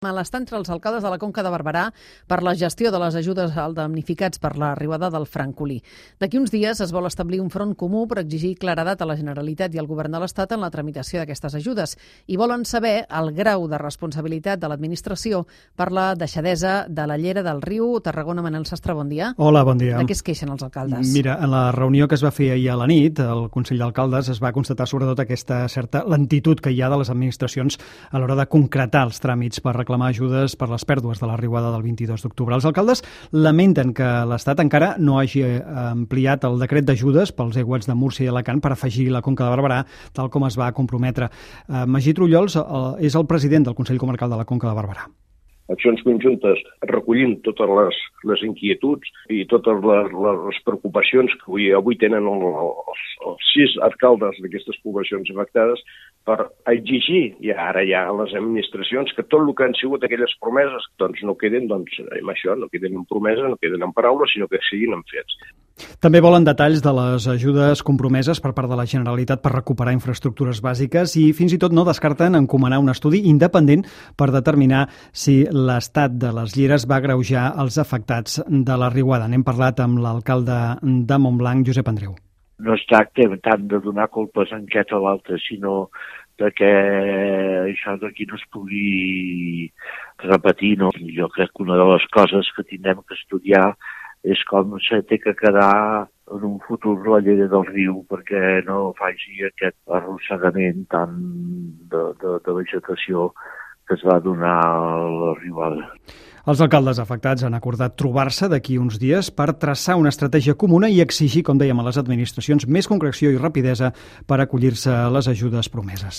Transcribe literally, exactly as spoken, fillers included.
Malestar entre els alcaldes de la Conca de Barberà per la gestió de les ajudes als damnificats per la riuada del Francolí. D'aquí uns dies es vol establir un front comú per exigir claredat a la Generalitat i al Govern de l'Estat en la tramitació d'aquestes ajudes i volen saber el grau de responsabilitat de l'administració per la deixadesa de la llera del riu Tarragona. Manel Sastre, bon dia. Hola, bon dia. De què es queixen els alcaldes? Mira, en la reunió que es va fer ahir a la nit, el Consell d'Alcaldes es va constatar sobretot aquesta certa lentitud que hi ha de les administracions a l'hora de concretar els tràmits per reclamar ajudes per les pèrdues de la riuada del vint-i-dos d'octubre. Els alcaldes lamenten que l'Estat encara no hagi ampliat el decret d'ajudes pels aiguats de Múrcia i Alacant per afegir la Conca de Barberà, tal com es va comprometre. Magí Trullols és el president del Consell Comarcal de la Conca de Barberà. Accions conjuntes recollint totes les, les inquietuds i totes les, les preocupacions que avui, avui tenen els, els sis alcaldes d'aquestes poblacions afectades per exigir ja ara ja a les administracions que tot el que han sigut aquelles promeses doncs no queden doncs, amb això, no queden en promesa, no queden en paraules, sinó que siguin en fets. També volen detalls de les ajudes compromeses per part de la Generalitat per recuperar infraestructures bàsiques i fins i tot no descarten encomanar un estudi independent per determinar si l'estat de les lleres va agreujar els afectats de la riuada. N'hem parlat amb l'alcalde de Montblanc, Josep Andreu. No es tracta tant de donar culpes en aquest o l'altre, sinó de que això d'aquí no es pugui repetir. No? Jo crec que una de les coses que tindrem que estudiar és com se té que quedar en un futur la llera del riu perquè no faci aquest arrossegament tant de, de, de vegetació que es va donar a la riuada. Els alcaldes afectats han acordat trobar-se d'aquí uns dies per traçar una estratègia comuna i exigir, com dèiem, a les administracions més concreció i rapidesa per acollir-se a les ajudes promeses.